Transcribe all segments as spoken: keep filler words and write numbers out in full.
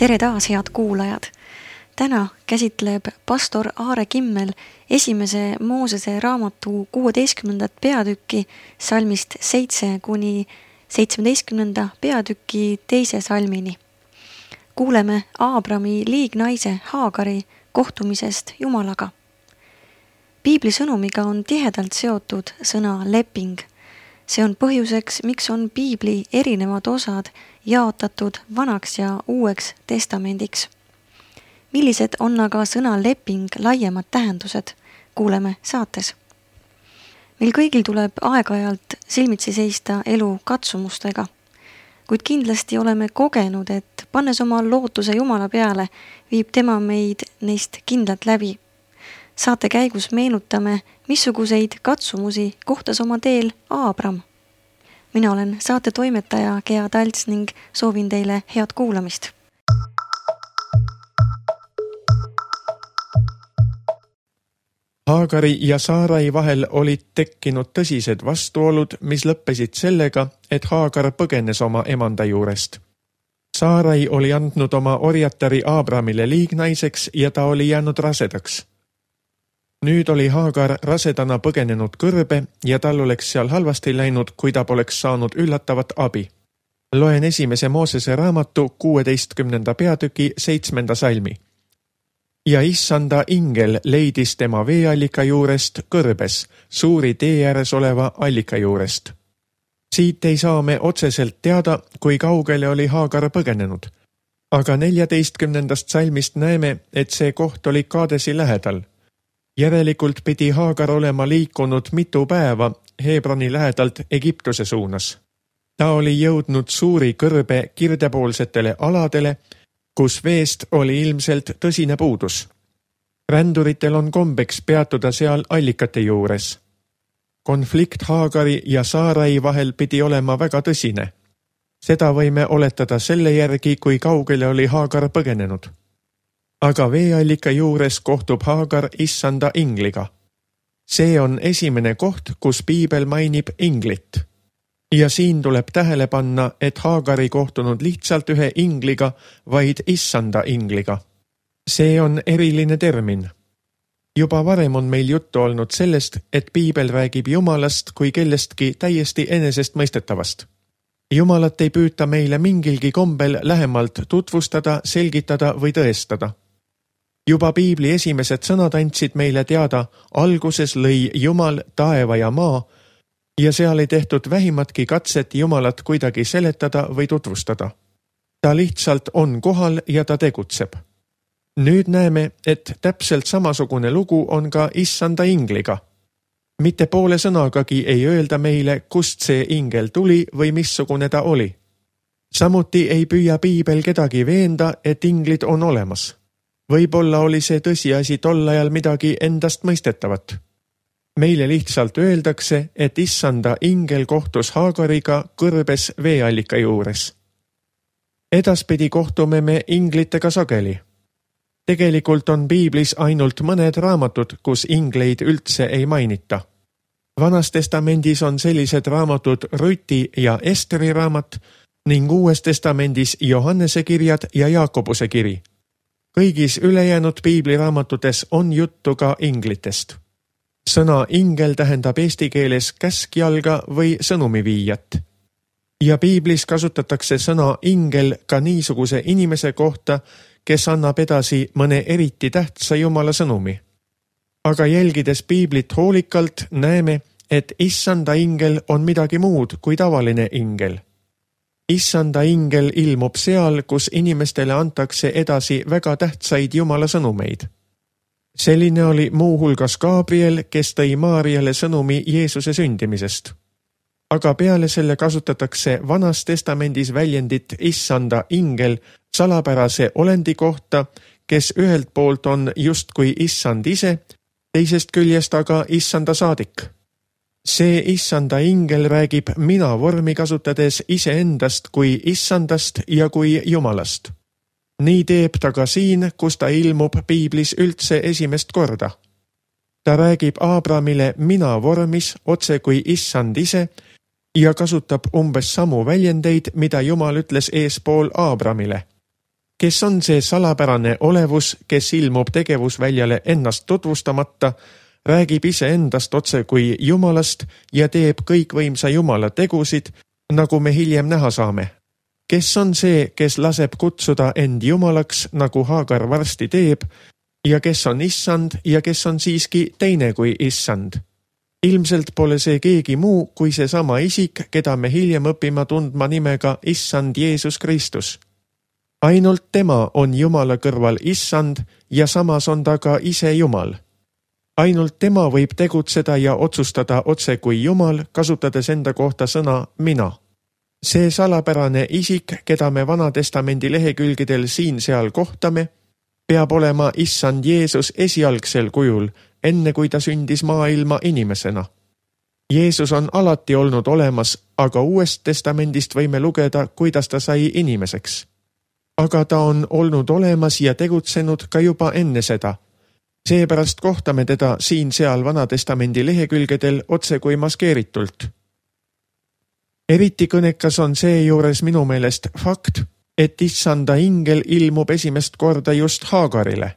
Tere taas, head kuulajad! Täna käsitleb pastor Aare Kimmel esimese Moosese raamatu kuueteistkümnendat peatükki salmist seitse kuni seitsmeteistkümnenda peatüki teise salmini. Kuuleme Aabrami liignaise Haagari kohtumisest Jumalaga. Piibli sõnumiga on tihedalt seotud sõna leping. See on põhjuseks, miks on Piibli erinevad osad jaotatud vanaks ja uueks testamendiks. Millised on aga sõna leping laiemad tähendused? Kuuleme saates. Meil kõigil tuleb aeg-ajalt silmitsi seista elu katsumustega, kuid kindlasti oleme kogenud, et pannes oma lootuse Jumala peale, viib tema meid neist kindlalt läbi. Saate käigus meenutame, missuguseid katsumusi kohtas oma teel Aabram. Mina olen saate toimetaja Gea Talts ning soovin teile head kuulamist. Haagari ja Saarai vahel olid tekkinud tõsised vastuolud, mis lõppesid sellega, et Haagar põgenes oma emanda juurest. Saarai oli andnud oma orjatari Aabramile liignaiseks ja ta oli jäänud rasedaks. Nüüd oli Haagar rasedana põgenenud kõrbe ja tal oleks seal halvasti läinud, kui ta poleks saanud üllatavat abi. Loen esimese Moosese raamatu kuueteistkümnenda peatüki seitsmenda salmi. Ja issanda ingel leidis tema veeallika juurest kõrbes, suuri tee ääres oleva allika juurest. Siit ei saa me otseselt teada, kui kaugele oli Haagar põgenenud. Aga neljateistkümnendast salmist näeme, et see koht oli Kaadesi lähedal. Järelikult pidi Haagar olema liikunud mitu päeva Hebroni lähedalt Egiptuse suunas. Ta oli jõudnud suuri kõrbe kirdepoolsetele aladele, kus veest oli ilmselt tõsine puudus. Ränduritel on kombeks peatuda seal allikate juures. Konflikt Haagari ja Saarai vahel pidi olema väga tõsine. Seda võime oletada selle järgi, kui kaugele oli Haagar põgenenud. Aga veeallika juures kohtub Haagar issanda ingliga. See on esimene koht, kus Piibel mainib inglit. Ja siin tuleb tähele panna, et Haagar ei kohtunud lihtsalt ühe ingliga, vaid issanda ingliga. See on eriline termin. Juba varem on meil juttu olnud sellest, et Piibel räägib Jumalast kui kellestki täiesti enesestmõistetavast. Jumalat ei püüta meile mingilgi kombel lähemalt tutvustada, selgitada või tõestada. Juba Piibli esimesed sõnad andsid meile teada, alguses lõi Jumal taeva ja maa, ja seal ei tehtud vähimatki katset Jumalat kuidagi seletada või tutvustada. Ta lihtsalt on kohal ja ta tegutseb. Nüüd näeme, et täpselt samasugune lugu on ka issanda ingliga. Mitte poole sõnagagi ei öelda meile, kust see ingel tuli või missugune ta oli. Samuti ei püüa Piibel kedagi veenda, et inglid on olemas. Võib-olla oli see tõsiasi tol ajal midagi endast mõistetavat. Meile lihtsalt öeldakse, et issanda ingel kohtus Haagariga kõrbes veeallika juures. Edaspidi kohtume me inglitega sageli. Tegelikult on Piiblis ainult mõned raamatud, kus ingleid üldse ei mainita. Vanas testamendis on sellised raamatud Ruti ja Esteri raamat ning Uues testamendis Johannese kirjad ja Jaakobuse kiri. Kõigis ülejäänud Piibli raamatutes on juttu ka inglitest. Sõna ingel tähendab eesti keeles käskjalga või sõnumiviijat. Ja Piiblis kasutatakse sõna ingel ka niisuguse inimese kohta, kes annab edasi mõne eriti tähtsa Jumala sõnumi. Aga jälgides Piiblit hoolikalt näeme, et issanda ingel on midagi muud kui tavaline ingel. Issanda ingel ilmub seal, kus inimestele antakse edasi väga tähtsaid Jumala sõnumeid. Selline oli muu hulgas Gabriel, kes tõi Maariale sõnumi Jeesuse sündimisest. Aga peale selle kasutatakse Vanas testamendis väljendit issanda ingel salapärase olendi kohta, kes ühelt poolt on justkui issand ise, teisest küljest aga issanda saadik. See issanda ingel räägib mina vormi kasutades iseendast kui issandast ja kui Jumalast. Nii teeb ta ka siin, kus ta ilmub Piiblis üldse esimest korda. Ta räägib Aabramile mina vormis otse kui issand ise ja kasutab umbes samu väljendeid, mida Jumal ütles eespool Aabramile. Kes on see salapärane olevus, kes ilmub tegevusväljale ennast tutvustamata, räägib iseendast otse kui Jumalast ja teeb kõikvõimsa Jumala tegusid, nagu me hiljem näha saame? Kes on see, kes laseb kutsuda end Jumalaks, nagu Haagar varsti teeb, ja kes on issand ja kes on siiski teine kui issand? Ilmselt pole see keegi muu kui seesama isik, keda me hiljem õpime tundma nimega issand Jeesus Kristus. Ainult tema on Jumala kõrval issand ja samas on ta ka ise Jumal. Ainult tema võib tegutseda ja otsustada otse kui Jumal, kasutades enda kohta sõna mina. See salapärane isik, keda me Vana Testamendi lehekülgedel siin-seal kohtame, peab olema issand Jeesus esialgsel kujul, enne kui ta sündis maailma inimesena. Jeesus on alati olnud olemas, aga Uuest Testamendist võime lugeda, kuidas ta sai inimeseks. Aga ta on olnud olemas ja tegutsenud ka juba enne seda. Seepärast kohtame teda siin-seal Vana Testamendi lehekülgedel otse kui maskeeritult. Eriti kõnekas on seejuures minu meelest fakt, et issanda ingel ilmub esimest korda just Haagarile.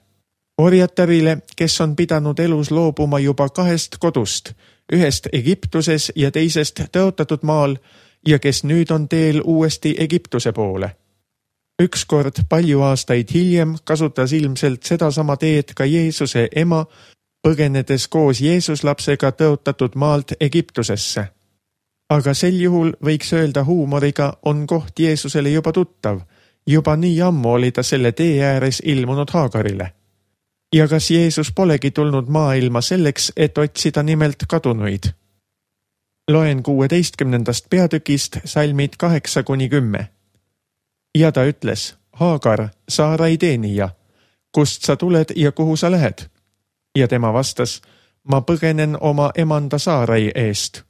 Orjatarile, kes on pidanud elus loobuma juba kahest kodust, ühest Egiptuses ja teisest tõotatud maal ja kes nüüd on teel uuesti Egiptuse poole. Ükskord palju aastaid hiljem kasutas ilmselt sedasama teed ka Jeesuse ema, põgenedes koos Jeesuslapsega tõotatud maalt Egiptusesse. Aga sel juhul võiks öelda huumoriga on koht Jeesusele juba tuttav, juba nii ammu oli ta selle tee ääres ilmunud Haagarile. Ja kas Jeesus polegi tulnud maailma selleks, et otsida nimelt kadunuid? Loen kuueteistkümnendast peatükist salmid kaheksa kuni kümme. Ja ta ütles, Haagar, Saarai teenija, kust sa tuled ja kuhu sa lähed? Ja tema vastas, ma põgenen oma emanda Saarai eest.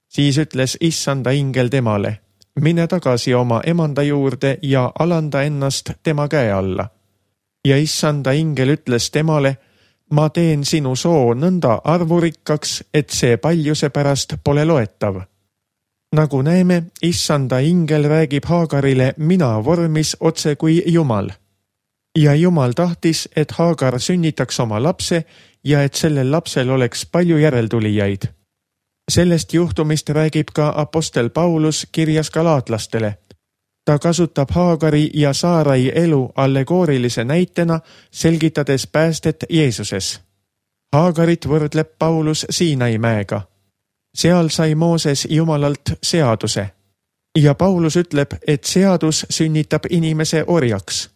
Siis ütles issanda ingel temale, mine tagasi oma emanda juurde ja alanda ennast tema käe alla. Ja issanda ingel ütles temale, ma teen sinu soo nõnda arvurikkaks, et see paljuse pärast pole loetav. Nagu näeme, issanda ingel räägib Haagarile mina vormis otse kui Jumal. Ja Jumal tahtis, et Haagar sünnitaks oma lapse ja et sellel lapsel oleks palju järeltulijaid. Sellest juhtumist räägib ka apostel Paulus kirjas galaatlastele. Ta kasutab Haagari ja Saarai elu allegoorilise näitena, selgitades päästet Jeesuses. Haagarit võrdleb Paulus Siinai mäega. Seal sai Mooses Jumalalt seaduse. Ja Paulus ütleb, et seadus sünnitab inimese orjaks.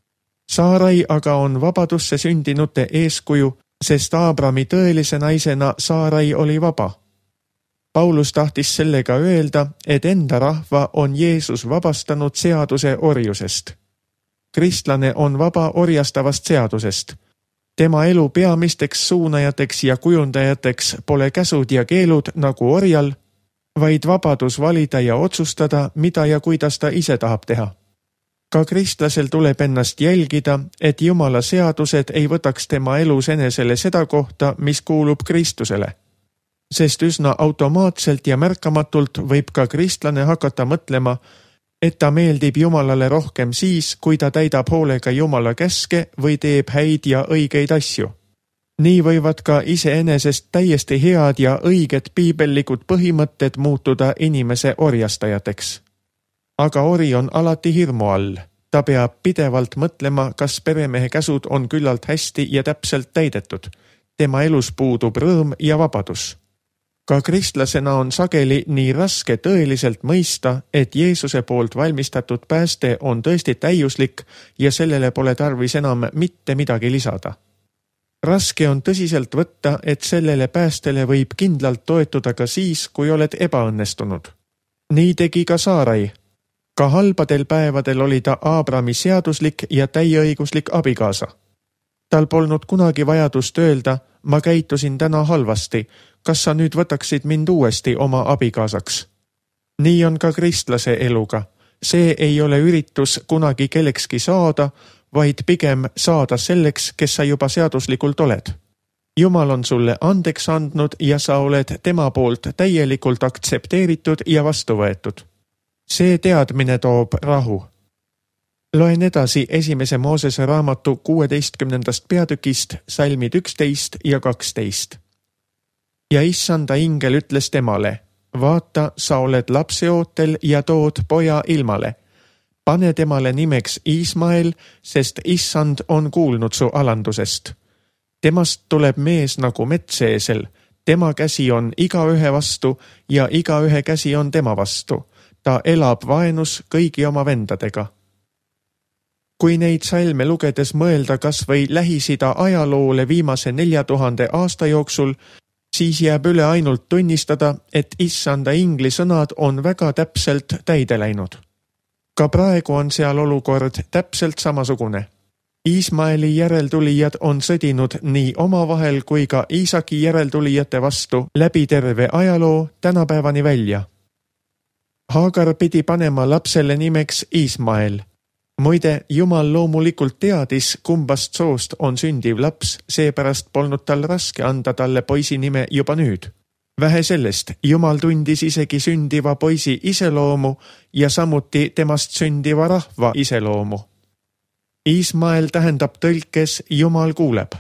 Saarai aga on vabadusse sündinute eeskuju, sest Aabrami tõelise naisena Saarai oli vaba. Paulus tahtis sellega öelda, et enda rahva on Jeesus vabastanud seaduse orjusest. Kristlane on vaba orjastavast seadusest. Tema elu peamisteks suunajateks ja kujundajateks pole käsud ja keelud nagu orjal, vaid vabadus valida ja otsustada, mida ja kuidas ta ise tahab teha. Ka kristlasel tuleb ennast jälgida, et Jumala seadused ei võtaks tema elus enesele seda kohta, mis kuulub Kristusele. Sest üsna automaatselt ja märkamatult võib ka kristlane hakata mõtlema, et ta meeldib Jumalale rohkem siis, kui ta täidab hoolega Jumala käske või teeb häid ja õigeid asju. Nii võivad ka iseenesest täiesti head ja õiged piibellikud põhimõtted muutuda inimese orjastajateks. Aga ori on alati hirmu all. Ta peab pidevalt mõtlema, kas peremehe käsud on küllalt hästi ja täpselt täidetud. Tema elus puudub rõõm ja vabadus. Ka kristlasena on sageli nii raske tõeliselt mõista, et Jeesuse poolt valmistatud pääste on tõesti täiuslik ja sellele pole tarvis enam mitte midagi lisada. Raske on tõsiselt võtta, et sellele päästele võib kindlalt toetuda ka siis, kui oled ebaõnnestunud. Nii tegi ka Saarai. Ka halbadel päevadel oli ta Aabrami seaduslik ja täieõiguslik abikaasa. Tal polnud kunagi vajadust öelda, ma käitusin täna halvasti, kas sa nüüd võtaksid mind uuesti oma abikaasaks? Nii on ka kristlase eluga. See ei ole üritus kunagi kellekski saada, vaid pigem saada selleks, kes sa juba seaduslikult oled. Jumal on sulle andeks andnud ja sa oled tema poolt täielikult aktsepteeritud ja vastu võetud. See teadmine toob rahu. Loen edasi esimese Moosese raamatu kuueteistkümnendast peatükist salmid üksteist ja kaksteist. Ja issanda ingel ütles temale, vaata, sa oled lapseootel ja tood poja ilmale. Pane temale nimeks Iismael, sest issand on kuulnud su alandusest. Temast tuleb mees nagu metseesel, tema käsi on igaühe vastu ja igaühe käsi on tema vastu. Ta elab vaenus kõigi oma vendadega. Kui neid salme lugedes mõelda kas või Lähis-Ida ajaloole viimase nelja tuhande aasta jooksul, siis jääb üle ainult tunnistada, et issanda ingli sõnad on väga täpselt täide läinud. Ka praegu on seal olukord täpselt samasugune. Iismaeli järeltulijad on sõdinud nii omavahel kui ka Iisaki järeltulijate vastu läbi terve ajaloo tänapäevani välja. Haagar pidi panema lapsele nimeks Iismael. Muide, Jumal loomulikult teadis, kumbast soost on sündiv laps, seepärast polnud tal raske anda talle poisi nime juba nüüd. Vähe sellest, Jumal tundis isegi sündiva poisi iseloomu ja samuti temast sündiva rahva iseloomu. Iismael tähendab tõlkes Jumal kuuleb.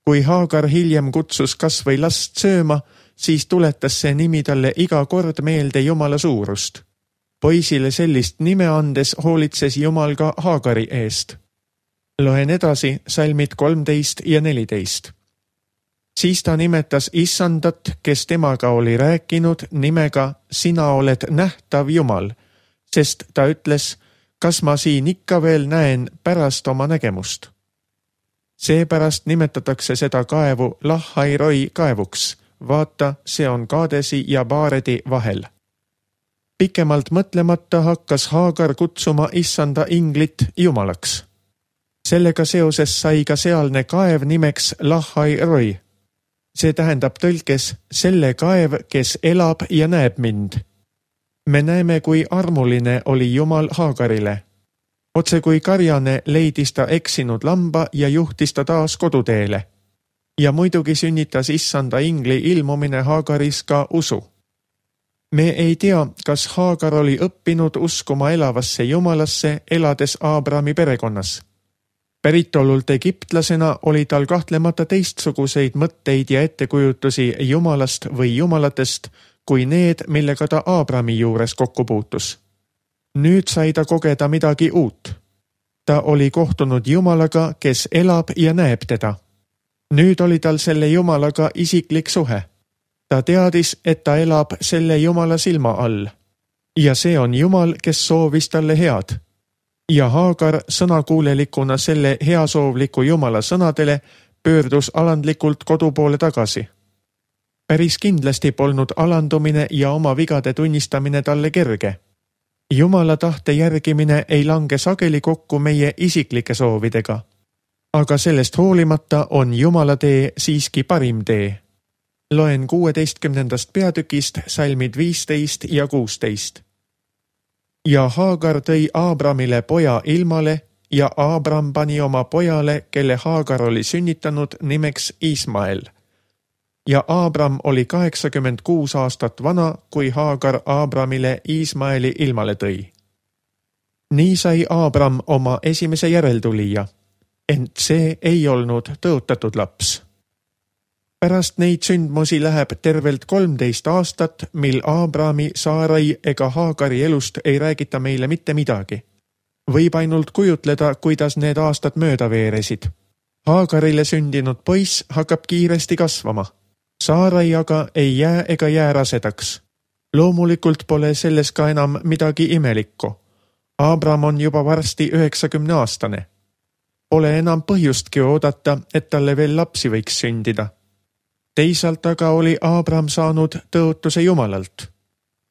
Kui Haagar hiljem kutsus kas või last sööma, siis tuletas see nimi talle iga kord meelde Jumala suurust. Poisile sellist nime andes hoolitses Jumal ka Haagari eest. Loen edasi salmid kolmteist ja neliteist. Siis ta nimetas issandat, kes temaga oli rääkinud nimega Sina oled nähtav Jumal, sest ta ütles, kas ma siin ikka veel näen pärast oma nägemust. Seepärast nimetatakse seda kaevu Lahhairoi kaevuks. Vaata, see on Kaadesi ja Baaredi vahel. Pikemalt mõtlemata hakkas Haagar kutsuma issanda inglit Jumalaks. Sellega seoses sai ka sealne kaev nimeks Lahhairoi. See tähendab tõlkes selle kaev, kes elab ja näeb mind. Me näeme, kui armuline oli Jumal Haagarile. Otse kui karjane leidis ta eksinud lamba ja juhtis ta taas koduteele. Ja muidugi sünnitas issanda ingli ilmumine Haagaris ka usu. Me ei tea, kas Haagar oli õppinud uskuma elavasse Jumalasse, elades Aabrami perekonnas. Päritolult egiptlasena oli tal kahtlemata teistsuguseid mõtteid ja ettekujutusi Jumalast või Jumalatest, kui need, millega ta Aabrami juures kokku puutus. Nüüd sai ta kogeda midagi uut. Ta oli kohtunud Jumalaga, kes elab ja näeb teda. Nüüd oli tal selle Jumalaga isiklik suhe. Ta teadis, et ta elab selle Jumala silma all. Ja see on Jumal, kes soovis talle head. Ja Haagar sõnakuulelikuna selle heasoovliku Jumala sõnadele pöördus alandlikult kodu poole tagasi. Päris kindlasti polnud alandumine ja oma vigade tunnistamine talle kerge. Jumala tahte järgimine ei lange sageli kokku meie isiklike soovidega. Aga sellest hoolimata on Jumala tee siiski parim tee. Loen kuueteistkümnendast peatükist salmid viisteist ja kuusteist. Ja Haagar tõi Aabramile poja ilmale ja Aabram pani oma pojale, kelle Haagar oli sünnitanud, nimeks Iismael. Ja Aabram oli kaheksakümmend kuus aastat vana, kui Haagar Aabramile Iismaeli ilmale tõi. Nii sai Aabram oma esimese järeltulija, ent see ei olnud tõotatud laps. Pärast neid sündmusi läheb tervelt kolmteist aastat, mil Aabrami, Saarai ega Haagari elust ei räägita meile mitte midagi. Võib ainult kujutleda, kuidas need aastad mööda veeresid. Haagarile sündinud poiss hakkab kiiresti kasvama. Saarai aga ei jää ega jää rasedaks. Loomulikult pole selles ka enam midagi imelikku. Aabram on juba varsti üheksakümne aastane. Pole enam põhjustki oodata, et talle veel lapsi võiks sündida. Teisalt aga oli Aabram saanud tõotuse Jumalalt.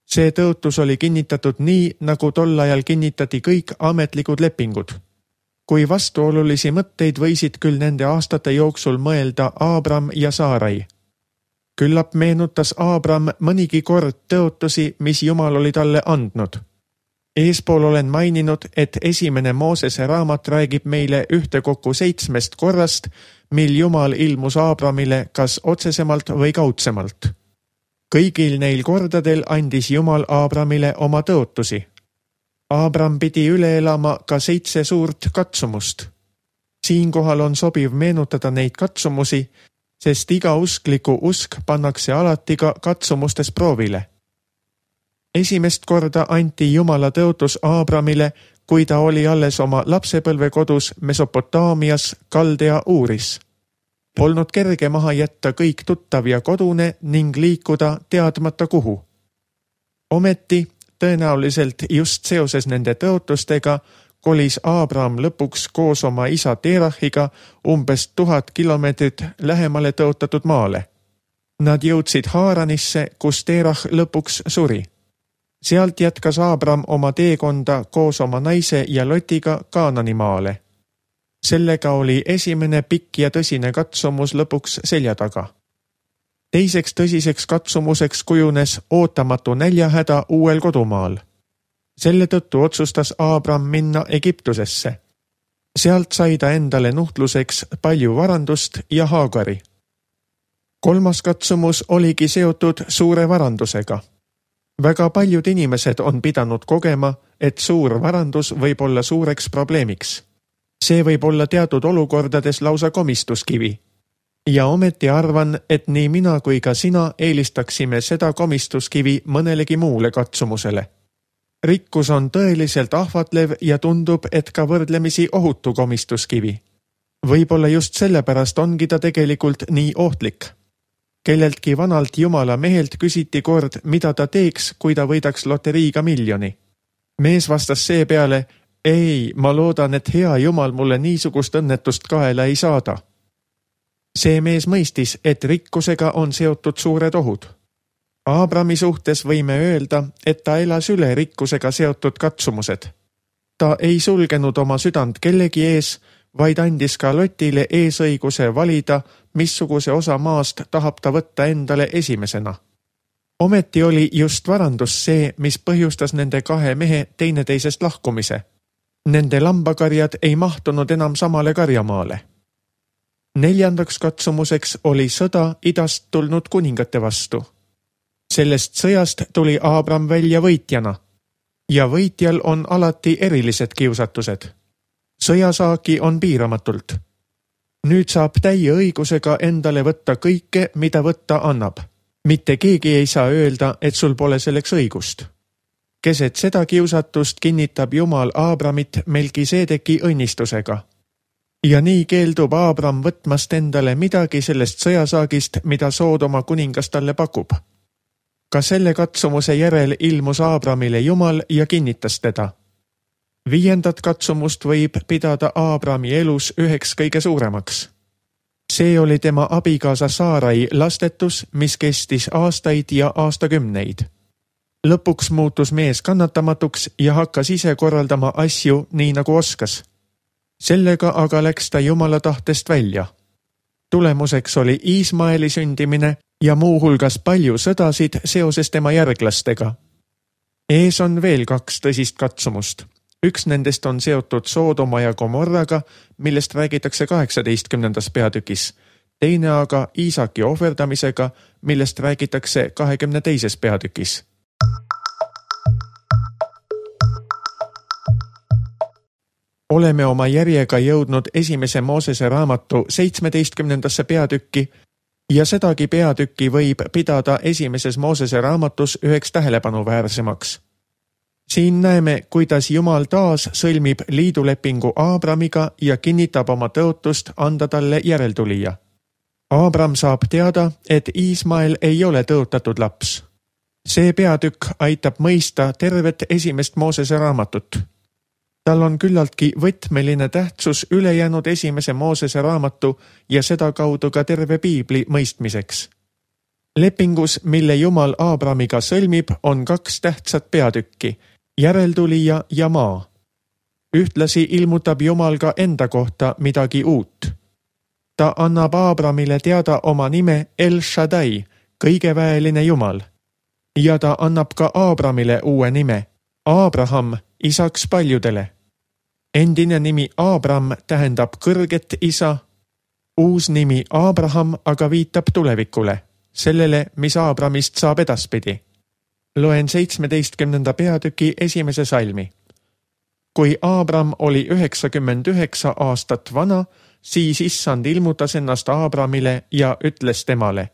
See tõotus oli kinnitatud nii, nagu tol ajal kinnitati kõik ametlikud lepingud. Kui vastuolulisi mõtteid võisid küll nende aastate jooksul mõelda Aabram ja Saarai. Küllap meenutas Aabram mõnigi kord tõotusi, mis Jumal oli talle andnud. Eespool olen maininud, et esimene Moosese raamat räägib meile ühtekokku seitsmest korrast, mil Jumal ilmus Aabramile kas otsesemalt või kaudsemalt. Kõigil neil kordadel andis Jumal Aabramile oma tõotusi. Abram pidi üle elama ka seitse suurt katsumust. Siinkohal on sobiv meenutada neid katsumusi, sest iga uskliku usk pannakse alati ka katsumustes proovile. Esimest korda anti Jumala tõotus Abramile, kui ta oli alles oma lapsepõlvekodus Mesopotaamias Kaldea Uuris. Polnud kerge maha jätta kõik tuttav ja kodune ning liikuda teadmata kuhu. Ometi, tõenäoliselt just seoses nende tõotustega, kolis Abram lõpuks koos oma isa Terahiga umbes tuhat kilomeetrit lähemale tõotatud maale. Nad jõudsid Haaranisse, kus Terah lõpuks suri. Sealt jätkas Abram oma teekonda koos oma naise ja Lotiga Kaanani maale. Sellega oli esimene pikk ja tõsine katsumus lõpuks selja taga. Teiseks tõsiseks katsumuseks kujunes ootamatu näljahäda uuel kodumaal. Selle tõttu otsustas Abram minna Egiptusesse. Sealt sai ta endale nuhtluseks palju varandust ja Haagari. Kolmas katsumus oligi seotud suure varandusega. Väga paljud inimesed on pidanud kogema, et suur varandus võib olla suureks probleemiks. See võib olla teatud olukordades lausa komistuskivi. Ja ometi arvan, et nii mina kui ka sina eelistaksime seda komistuskivi mõnelegi muule katsumusele. Rikkus on tõeliselt ahvatlev ja tundub, et ka võrdlemisi ohutu komistuskivi. Võib-olla just sellepärast ongi ta tegelikult nii ohtlik. Kelleltki vanalt Jumala mehelt küsiti kord, mida ta teeks, kui ta võidaks loteriiga miljoni. Mees vastas seepeale, ei, ma loodan, et hea Jumal mulle niisugust õnnetust kaela ei saada. See mees mõistis, et rikkusega on seotud suured ohud. Abrami suhtes võime öelda, et ta elas üle rikkusega seotud katsumused. Ta ei sulgenud oma südant kellegi ees, vaid andis ka Lotile eesõiguse valida, missuguse osa maast tahab ta võtta endale esimesena. Ometi oli just varandus see, mis põhjustas nende kahe mehe teineteisest lahkumise. Nende lambakarjad ei mahtunud enam samale karjamaale. Neljandaks katsumuseks oli sõda idast tulnud kuningate vastu. Sellest sõjast tuli Abram välja võitjana. Ja võitjal on alati erilised kiusatused. Sõjasaaki on piiramatult. Nüüd saab täie õigusega endale võtta kõike, mida võtta annab. Mitte keegi ei saa öelda, et sul pole selleks õigust. Keset seda kiusatust kinnitab Jumal Abramit Melkisedeki õnnistusega. Ja nii keeldub Abram võtmast endale midagi sellest sõjasaagist, mida Soodoma kuningas talle pakub. Ka selle katsumuse järel ilmus Abramile Jumal ja kinnitas teda. Viiendat katsumust võib pidada Abrami elus üheks kõige suuremaks. See oli tema abikaasa Saarai lastetus, mis kestis aastaid ja aastakümneid. Lõpuks muutus mees kannatamatuks ja hakkas ise korraldama asju nii nagu oskas. Sellega aga läks ta Jumala tahtest välja. Tulemuseks oli Iismaeli sündimine ja muuhulgas palju sõdasid seoses tema järglastega. Ees on veel kaks tõsist katsumust. Üks nendest on seotud Soodoma ja Gomorraga, millest räägitakse kaheksateistkümnendas peatükis. Teine aga Iisaki ohverdamisega, millest räägitakse kahekümne teises peatükis. Oleme oma järjega jõudnud esimese Moosese raamatu seitsmeteistkümnendasse peatükki ja sedagi peatükki võib pidada esimeses Moosese raamatus üheks tähelepanuväärsemaks. Siin näeme, kuidas Jumal taas sõlmib liidulepingu Abramiga ja kinnitab oma tõotust anda talle järeltulija. Abram saab teada, et Iismael ei ole tõotatud laps. See peatükk aitab mõista tervet esimest Moosese raamatut. Tal on küllaltki võtmeline tähtsus ülejäänud esimese Moosese raamatu ja seda kaudu ka terve piibli mõistmiseks. Lepingus, mille Jumal Abramiga sõlmib, on kaks tähtsat peatükki, järeltulija ja maa. Ühtlasi ilmutab Jumal ka enda kohta midagi uut. Ta annab Abramile teada oma nime El Shaddai, kõigeväeline Jumal. Ja ta annab ka Abramile uue nime, Abraham, isaks paljudele. Endine nimi Abram tähendab kõrget isa, uus nimi Abraham aga viitab tulevikule, sellele, mis Abramist saab edaspidi. Loen seitsmeteistkümnenda peatüki esimese salmi. Kui Aabram oli üheksakümmend üheksa aastat vana, siis issand ilmutas ennast Aabramile ja ütles temale: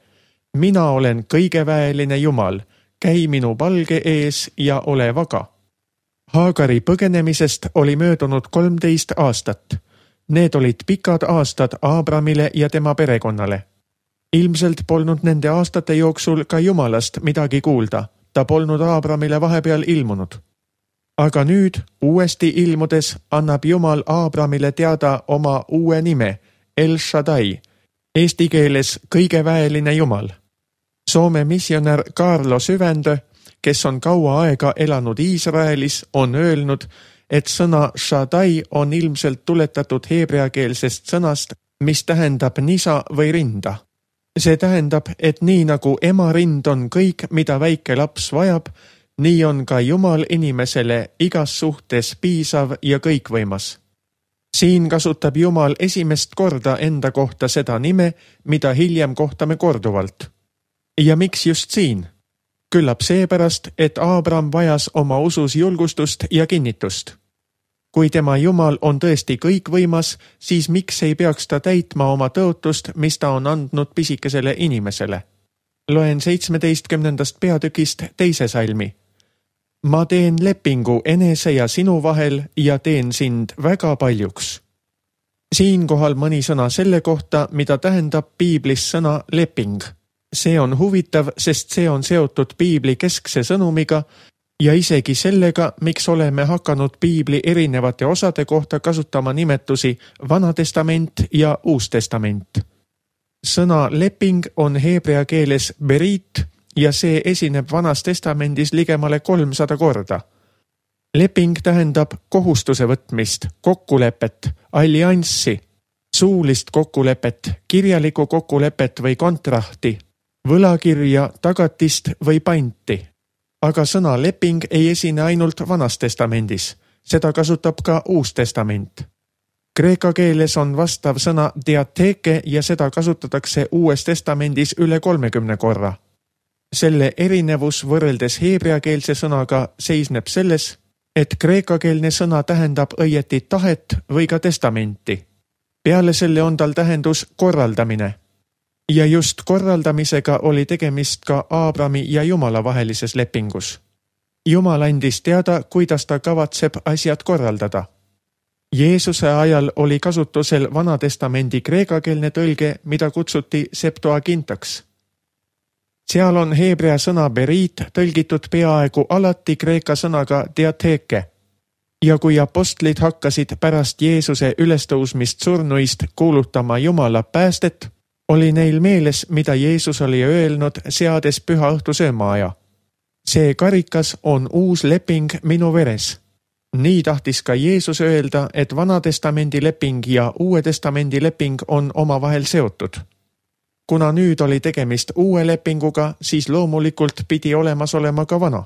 mina olen kõigeväeline Jumal, käi minu palge ees ja ole vaga. Haagari põgenemisest oli möödunud kolmteist aastat. Need olid pikad aastad Aabramile ja tema perekonnale. Ilmselt polnud nende aastate jooksul ka Jumalast midagi kuulda, ta polnud Aabramile vahepeal ilmunud. Aga nüüd, uuesti ilmudes, annab Jumal Aabramile teada oma uue nime, El Shaddai, eesti keeles kõigeväeline Jumal. Soome missionär Kaarlo Syvändö, kes on kaua aega elanud Iisraelis, on öelnud, et sõna Shaddai on ilmselt tuletatud heebreakeelsest sõnast, mis tähendab nisa või rinda. See tähendab, et nii nagu ema rind on kõik, mida väike laps vajab, nii on ka Jumal inimesele igas suhtes piisav ja kõikvõimas. Siin kasutab Jumal esimest korda enda kohta seda nime, mida hiljem kohtame korduvalt. Ja miks just siin? Küllap seepärast, et Aabram vajas oma usus julgustust ja kinnitust. Kui tema Jumal on tõesti kõikvõimas, siis miks ei peaks ta täitma oma tõotust, mis ta on andnud pisikesele inimesele? Loen seitsmeteistkümnendast peatükist teise salmi. Ma teen lepingu enese ja sinu vahel ja teen sind väga paljuks. Siinkohal mõni sõna selle kohta, mida tähendab piiblis sõna leping. See on huvitav, sest see on seotud piibli keskse sõnumiga ja isegi sellega, miks oleme hakanud piibli erinevate osade kohta kasutama nimetusi Vana Testament ja Uus Testament. Sõna leping on heebrea keeles berit ja see esineb Vanas Testamendis ligemale kolmsada korda. Leping tähendab kohustuse võtmist, kokkulepet, allianssi, suulist kokkulepet, kirjalikku kokkulepet või kontrahti, võlakirja, tagatist või panti. Aga sõna leping ei esine ainult Vanas Testamendis, seda kasutab ka Uus Testament. Kreeka keeles on vastav sõna diatheke ja seda kasutatakse Uues Testamendis üle kolmekümne korra. Selle erinevus võrreldes heebreakeelse sõnaga seisneb selles, et kreekakeelne sõna tähendab õieti tahet või ka testamenti. Peale selle on tal tähendus korraldamine. Ja just korraldamisega oli tegemist ka Aabrami ja Jumala vahelises lepingus. Jumal andis teada, kuidas ta kavatseb asjad korraldada. Jeesuse ajal oli kasutusel Vana Testamendi kreekakeelne tõlge, mida kutsuti Septuagintaks. Seal on heebrea sõna berit tõlgitud peaaegu alati kreeka sõnaga diatheke. Ja kui apostlid hakkasid pärast Jeesuse ülestõusmist surnuist kuulutama Jumala päästet, oli neil meeles, mida Jeesus oli öelnud, seades püha õhtu söömaaja. See karikas on uus leping minu veres. Nii tahtis ka Jeesus öelda, et Vana Testamendi leping ja Uue Testamendi leping on omavahel seotud. Kuna nüüd oli tegemist uue lepinguga, siis loomulikult pidi olemas olema ka vana.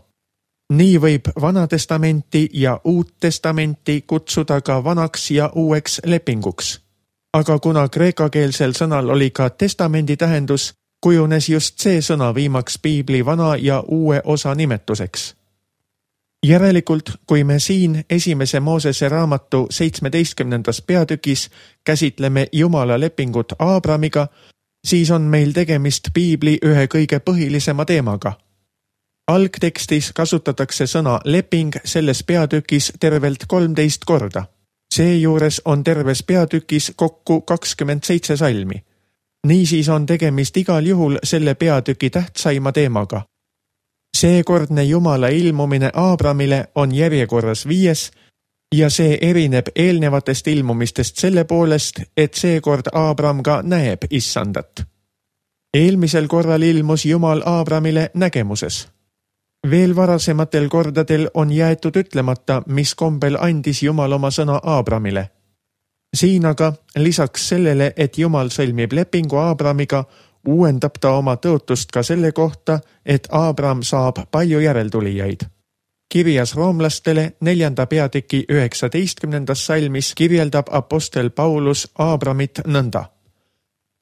Nii võib Vana Testamenti ja Uut Testamenti kutsuda ka vanaks ja uueks lepinguks. Aga kuna kreekakeelsel sõnal oli ka testamendi tähendus, kujunes just see sõna viimaks piibli vana ja uue osa nimetuseks. Järelikult, kui me siin esimese Moosese raamatu seitsmeteistkümnendas peatükis käsitleme Jumala lepingut Aabramiga, siis on meil tegemist piibli ühe kõige põhilisema teemaga. Algtekstis kasutatakse sõna leping selles peatükis tervelt kolmteist korda. Seejuures on terves peatükis kokku kakskümmend seitse salmi. Niisiis on tegemist igal juhul selle peatüki tähtsaima teemaga. Seekordne Jumala ilmumine Aabramile on järjekorras viies ja see erineb eelnevatest ilmumistest selle poolest, et seekord Aabram ka näeb issandat. Eelmisel korral ilmus Jumal Aabramile nägemuses. Veel varasematel kordadel on jäetud ütlemata, mis kombel andis Jumal oma sõna Aabramile. Siin aga lisaks sellele, et Jumal sõlmib lepingu Aabramiga, uuendab ta oma tõotust ka selle kohta, et Aabram saab palju järeltulijaid. Kirjas roomlastele neljanda peatüki üheksateistkümnendas salmis kirjeldab apostel Paulus Aabramit nõnda.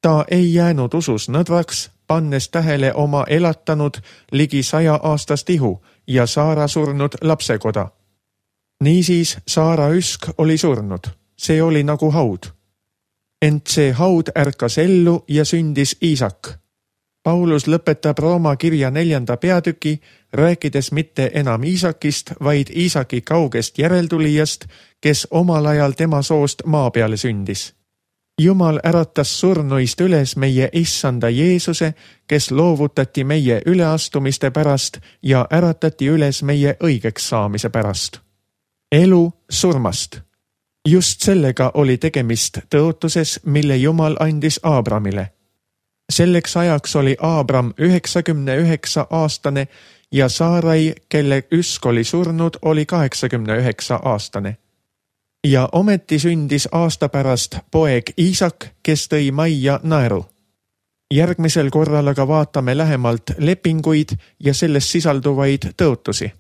Ta ei jäänud usus nõdraks, pannes tähele oma elatanud ligi saja aastast ihu ja Saara surnud lapsekoda. Niisiis Saara üsk oli surnud, see oli nagu haud. Ent see haud ärkas ellu ja sündis Iisak. Paulus lõpetab Rooma kirja neljanda peatüki, rääkides mitte enam Iisakist, vaid Iisaki kaugest järeltulijast, kes omal ajal tema soost maa peale sündis. Jumal äratas surnuist üles meie issanda Jeesuse, kes loovutati meie üleastumiste pärast ja äratati üles meie õigeks saamise pärast. Elu surmast. Just sellega oli tegemist tõotuses, mille Jumal andis Aabramile. Selleks ajaks oli Aabram üheksakümne üheksa aastane ja Saarai, kelle üsk oli surnud, oli kaheksakümne üheksa aastane. Ja ometi sündis aasta pärast poeg Iisak, kes tõi majja naeru. Järgmisel korral aga vaatame lähemalt lepinguid ja selles sisalduvaid tõotusi.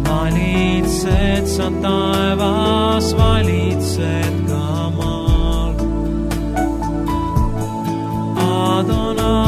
Valitsed sa taevas, valitsed ka maal. Adonai.